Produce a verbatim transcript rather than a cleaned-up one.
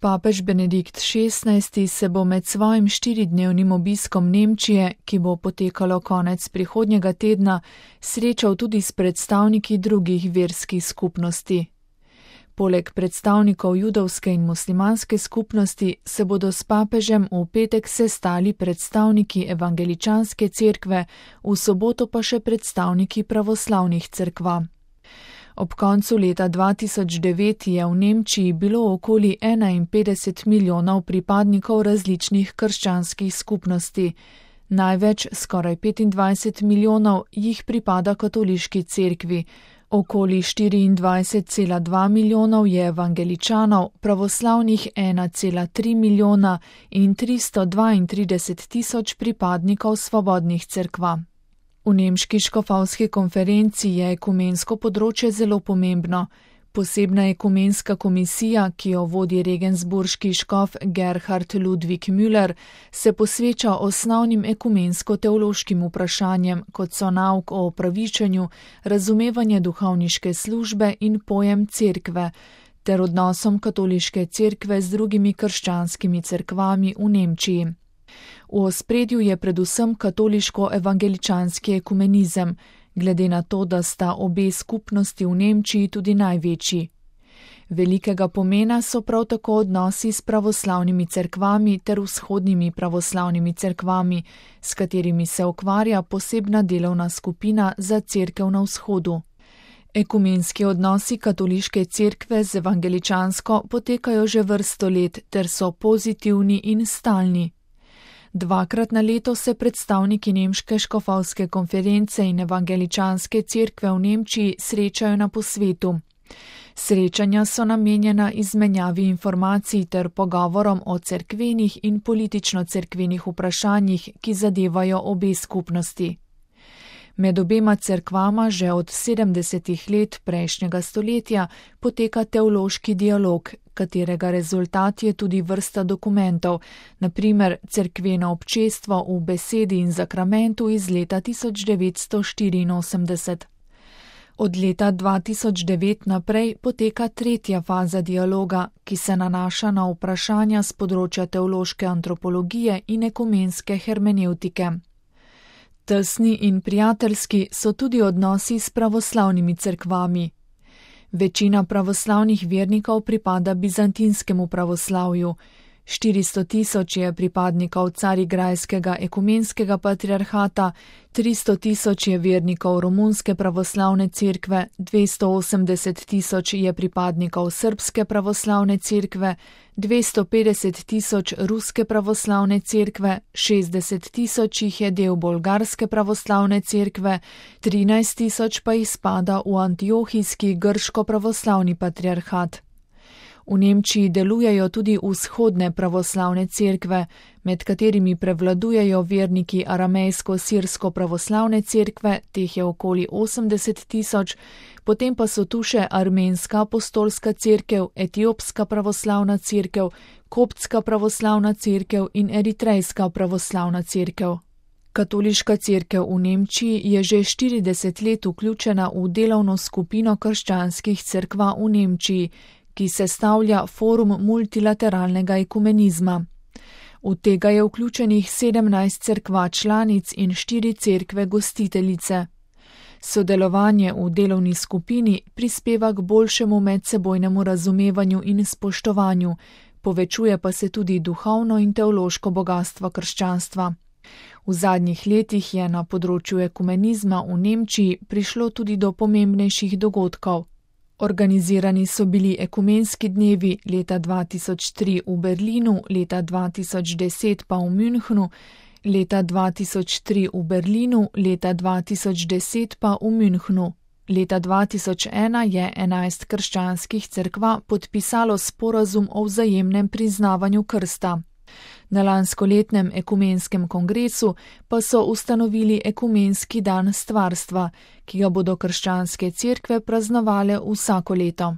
Papež Benedikt šestnajsti se bo med svojim štiridnevnim obiskom Nemčije, ki bo potekalo konec prihodnjega tedna, srečal tudi s predstavniki drugih verskih skupnosti. Poleg predstavnikov judovske in muslimanske skupnosti se bodo s papežem v petek sestali predstavniki evangeličanske cerkve, v soboto pa še predstavniki pravoslavnih cerkva. Ob koncu leta dva tisoč devet je v Nemčiji bilo okoli enainpetdeset milijonov pripadnikov različnih krščanskih skupnosti. Največ, skoraj petindvajset milijonov, jih pripada katoliški cerkvi. Okoli štiriindvajset cela dva milijonov je evangeličanov, pravoslavnih ena cela tri milijona in tristo dvaintrideset tisoč pripadnikov svobodnih cerkva. V nemški škofovski konferenci je ekumensko področje zelo pomembno. Posebna ekumenska komisija, ki jo vodi regensburški škof Gerhard Ludwig Müller, se posveča osnovnim ekumensko-teološkim vprašanjem, kot so nauk o opravičenju, razumevanje duhovniške službe in pojem cerkve, ter odnosom katoliške cerkve z drugimi krščanskimi cerkvami v Nemčiji. V ospredju je predvsem katoliško-evangeličanski ekumenizem, glede na to, da sta obe skupnosti v Nemčiji tudi največji. Velikega pomena so prav tako odnosi s pravoslavnimi cerkvami ter vzhodnimi pravoslavnimi cerkvami, s katerimi se ukvarja posebna delovna skupina za cerkev na vzhodu. Ekumenski odnosi katoliške cerkve z evangeličansko potekajo že vrsto let ter so pozitivni in stalni. Dvakrat na leto se predstavniki nemške škofovske konference in evangeličanske cerkve v Nemčiji srečajo na posvetu. Srečanja so namenjena izmenjavi informacij ter pogovorom o cerkvenih in politično-cerkvenih vprašanjih, ki zadevajo obe skupnosti. Med obema cerkvama že od sedemdesetih let prejšnjega stoletja poteka teološki dialog, katerega rezultat je tudi vrsta dokumentov, na primer Cerkveno občestvo v besedi in zakramentu iz leta tisoč devetsto štiriinosemdeset. Od leta dva tisoč devet naprej poteka tretja faza dialoga, ki se nanaša na vprašanja z področja teološke antropologije in ekumenske hermenevtike. Tesni in prijateljski so tudi odnosi s pravoslavnimi cerkvami. Večina pravoslavnih vernikov pripada bizantinskemu pravoslavju. štiristo tisoč je pripadnikov Carigrajskega ekumenskega patriarhata, tristo tisoč je vernikov romunske pravoslavne cerkve, dvesto osemdeset tisoč je pripadnikov srbske pravoslavne cerkve, dvesto petdeset tisoč ruske pravoslavne cerkve, šestdeset tisoč jih je del bolgarske pravoslavne cerkve, trinajst tisoč pa jih spada v antiohijski grško-pravoslavni patriarhat. V Nemčiji delujejo tudi vzhodne pravoslavne cerkve, med katerimi prevladujejo verniki aramejsko-sirsko pravoslavne cerkve, teh je okoli osemdeset tisoč, potem pa so tu še armenska apostolska cerkev, etiopska pravoslavna cerkev, koptska pravoslavna cerkev in eritrejska pravoslavna cerkev. Katoliška cerkev v Nemčiji je že štirideset let vključena v delovno skupino krščanskih cerkva v Nemčiji, ki sestavlja forum multilateralnega ekumenizma. V tega je vključenih sedemnajst cerkva članic in štiri cerkve gostiteljice. Sodelovanje v delovni skupini prispeva k boljšemu medsebojnemu razumevanju in spoštovanju, povečuje pa se tudi duhovno in teološko bogastvo krščanstva. V zadnjih letih je na področju ekumenizma v Nemčiji prišlo tudi do pomembnejših dogodkov. Organizirani so bili ekumenski dnevi leta dva tisoč tri v Berlinu, leta dva tisoč deset pa v Münchnu, leta dva tisoč tri v Berlinu, leta dva tisoč deset pa v Münchnu. Leta dva tisoč ena je enajst krščanskih cerkva podpisalo sporazum o vzajemnem priznavanju krsta. Na lanskoletnem ekumenskem kongresu pa so ustanovili ekumenski dan stvarstva, ki ga bodo krščanske cerkve praznovale vsako leto.